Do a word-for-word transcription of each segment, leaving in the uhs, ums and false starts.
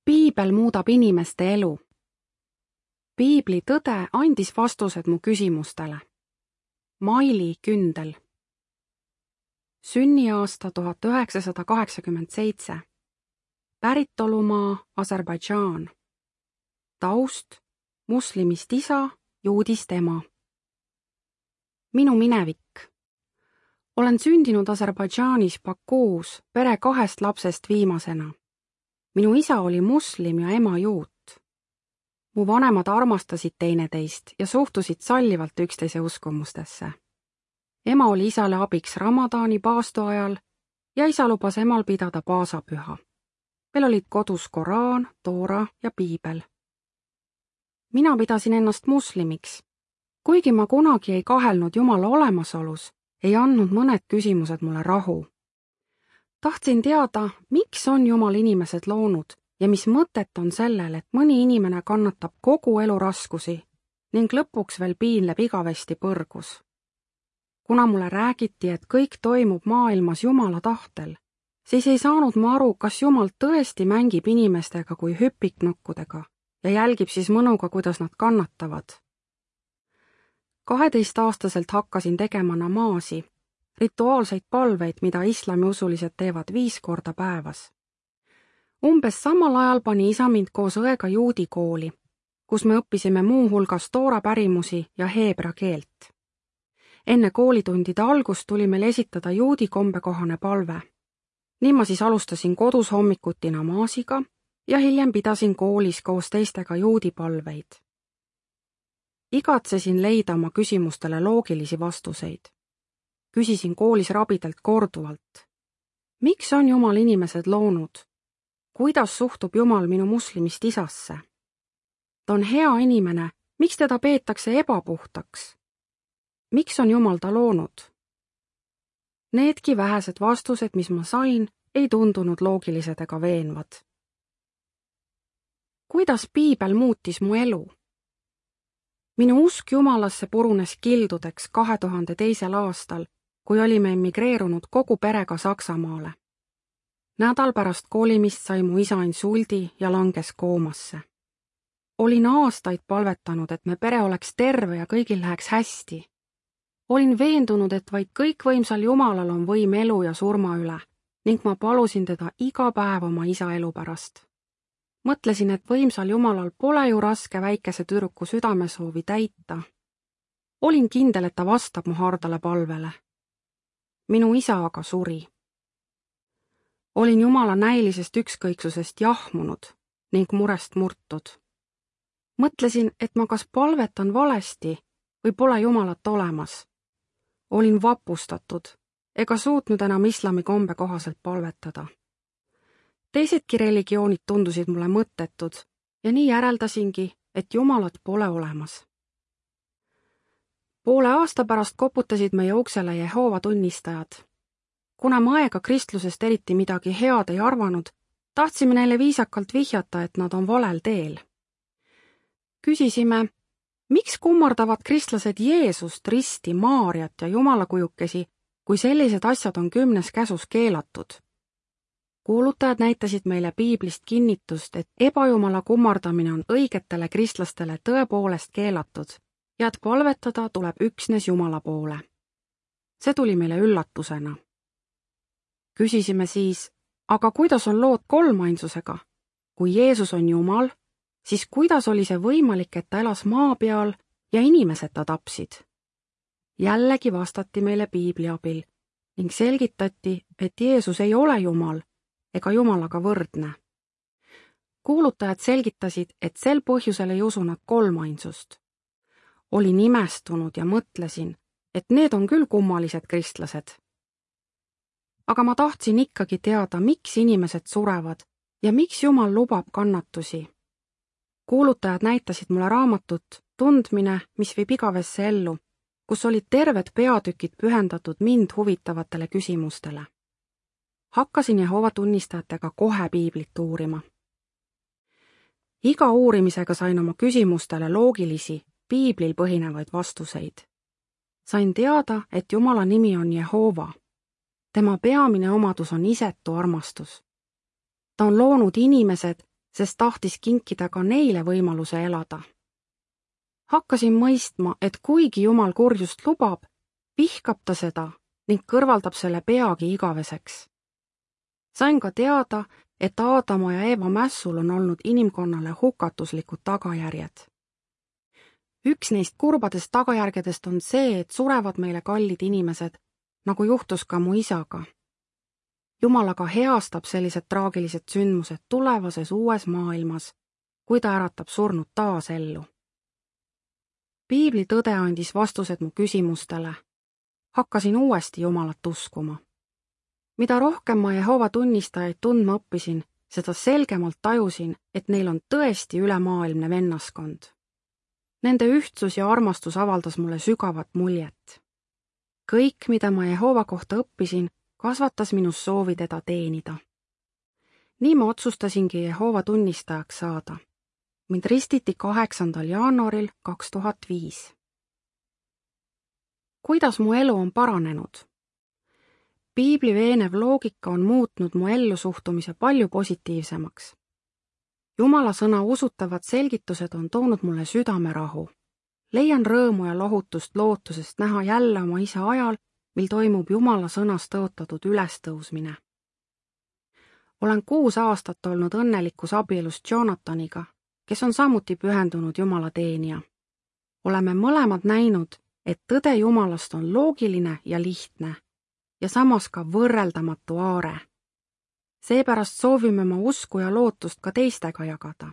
Piibel muudab inimeste elu. Piibli tõde andis vastused mu küsimustele. Maili Kündel. Sünniaasta tuhat üheksasada kaheksakümmend seitse. Päritolumaa Aserbaidžaan. Taust muslimist isa, juudist ema. Minu minevik. Olen sündinud Aserbaidžaanis Bakuus pere kahest lapsest viimasena. Minu isa oli muslim ja ema juut. Mu vanemad armastasid teineteist ja suhtusid sallivalt üksteise uskumustesse. Ema oli isale abiks Ramadaani paastu ajal ja isa lubas emal pidada paasapüha. Meil olid kodus Koraan, Toora ja Piibel. Mina pidasin ennast muslimiks. Kuigi ma kunagi ei kahelnud Jumala olemasolus, ei andnud mõned küsimused mulle rahu. Tahtsin teada, miks on Jumal inimesed loonud ja mis mõtet on sellel, et mõni inimene kannatab kogu elu raskusi ning lõpuks veel piinleb igavesti põrgus. Kuna mulle räägiti, et kõik toimub maailmas Jumala tahtel, siis ei saanud ma aru, kas Jumal tõesti mängib inimestega kui hüpiknokkudega ja jälgib siis mõnuga, kuidas nad kannatavad. kaheteistaastaselt hakkasin tegema namaasi, rituaalseid palveid, mida islamiusulised teevad viis korda päevas. Umbes samal ajal pani isa mind koos õega juudi kooli, kus me õppisime muu hulgas Toora pärimusi ja heebra keelt. Enne koolitundide algust tuli meil esitada juudi kombekohane palve. Nii ma siis alustasin kodus hommikuti namaasiga ja hiljem pidasin koolis koos teistega juudi palveid. Igatsesin leida oma küsimustele loogilisi vastuseid. Küsisin koolis rabidelt korduvalt. Miks on Jumal inimesed loonud? Kuidas suhtub Jumal minu muslimist isasse? Ta on hea inimene, miks teda peetakse ebapuhtaks? Miks on Jumal ta loonud? Needki vähesed vastused, mis ma sain, ei tundunud loogilised ega veenvad. Kuidas Piibel muutis mu elu? Minu usk Jumalasse purunes kildudeks kahe tuhande teisel aastal, kui olime emigreerunud kogu perega Saksamaale. Nädal pärast kolimist sai mu isa insuldi ja langes koomasse. Olin aastaid palvetanud, et me pere oleks terve ja kõigil läheks hästi. Olin veendunud, et vaid kõikvõimsal Jumalal on võim elu ja surma üle ning ma palusin teda iga päev oma isa elu pärast. Mõtlesin, et võimsal Jumalal pole ju raske väikese tüdruku südamesoovi täita. Olin kindel, et ta vastab mu hardale palvele. Minu isa aga suri. Olin Jumala näilisest ükskõiksusest jahmunud ning murest murtud. Mõtlesin, et ma kas palvetan valesti või pole Jumalat olemas. Olin vapustatud ega suutnud enam islami kombe kohaselt palvetada. Teisedki religioonid tundusid mulle mõttetud ja nii järeldasingi, et Jumalat pole olemas. Poole aasta pärast koputasid meie uksele Jehoova tunnistajad. Kuna ma aega kristlusest eriti midagi head ei arvanud, tahtsime neile viisakalt vihjata, et nad on valel teel. Küsisime, miks kummardavad kristlased Jeesust, Risti, Maarjat ja Jumalakujukesi, kui sellised asjad on kümnes käsus keelatud? Kuulutajad näitasid meile Piiblist kinnitust, et ebajumala kummardamine on õigetele kristlastele tõepoolest keelatud ja et palvetada tuleb üksnes Jumala poole. See tuli meile üllatusena. Küsisime siis, aga kuidas on lood kolmainsusega? Kui Jeesus on Jumal, siis kuidas oli see võimalik, et ta elas maa peal ja inimesed ta tapsid? Jällegi vastati meile Piibli abil ning selgitati, et Jeesus ei ole Jumal ega Jumalaga võrdne. Kuulutajad selgitasid, et sel põhjusel ei usu nad kolmainsust. Olin imestunud ja mõtlesin, et need on küll kummalised kristlased. Aga ma tahtsin ikkagi teada, miks inimesed surevad ja miks Jumal lubab kannatusi. Kuulutajad näitasid mulle raamatut Tundmine, mis viib igavesse ellu, kus olid terved peatükid pühendatud mind huvitavatele küsimustele. Hakkasin Jehova tunnistajatega kohe Piiblit uurima. Iga uurimisega sain oma küsimustele loogilisi, Piiblil põhinevaid vastuseid. Sain teada, et Jumala nimi on Jehova. Tema peamine omadus on isetu armastus. Ta on loonud inimesed sest tahtis kinkida ka neile võimaluse elada. Hakkasin mõistma, et kuigi Jumal kurjust lubab, vihkab ta seda ning kõrvaldab selle peagi igaveseks. Sain ka teada, et Aadama ja Eeva mässul on olnud inimkonnale hukatuslikud tagajärjed. Üks neist kurbadest tagajärgedest on see, et surevad meile kallid inimesed, nagu juhtus ka mu isaga. Jumal aga heastab sellised traagilised sündmused tulevases uues maailmas, kui ta äratab surnud taas ellu. Piibli tõde andis vastused mu küsimustele. Hakkasin uuesti Jumalat uskuma. Mida rohkem ma Jehova tunnistajaid tundma õppisin, seda selgemalt tajusin, et neil on tõesti ülemaailmne vennaskond. Nende ühtsus ja armastus avaldas mulle sügavat muljet. Kõik, mida ma Jehova kohta õppisin, kasvatas minus soovi teda teenida. Nii ma otsustasingi Jehova tunnistajaks saada. Mind ristiti kaheksandal jaanuaril kaks tuhat viis. Kuidas mu elu on paranenud? Piibli veenev loogika on muutnud mu ellusuhtumise palju positiivsemaks. Jumala sõna usutavad selgitused on toonud mulle südamerahu. Leian rõõmu ja lohutust lootusest näha jälle oma isa ajal, mil toimub Jumala sõnas tõotatud ülestõusmine. Olen kuus aastat olnud õnnelikus abielus Jonathaniga, kes on samuti pühendunud Jumala teenija. Oleme mõlemad näinud, et tõde Jumalast on loogiline ja lihtne ja samas ka võrreldamatu aare. Seepärast soovime ma usku ja lootust ka teistega jagada.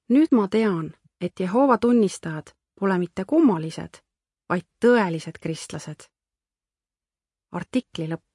Nüüd ma tean, et Jehova tunnistajad pole mitte kummalised, vaid tõelised kristlased. Artikli lõpp.